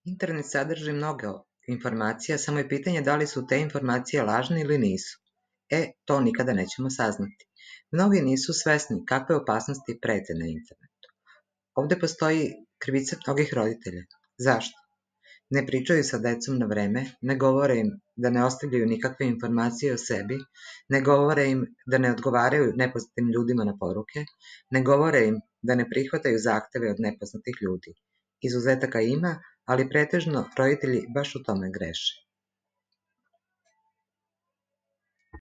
Internet sadrži mnogo informacija, samo je pitanje da li su te informacije lažne ili nisu. To nikada nećemo saznati. Mnogi nisu svesni kakve opasnosti prete na internetu. Ovde postoji krivica mnogih roditelja. Zašto? Ne pričaju sa decom na vreme, ne govore im da ne ostavljaju nikakve informacije o sebi, ne govore im da ne odgovaraju nepoznatim ljudima na poruke, ne govore im da ne prihvataju zahteve od nepoznatih ljudi. Izuzetaka ima, ali pretežno roditelji baš u tome greše.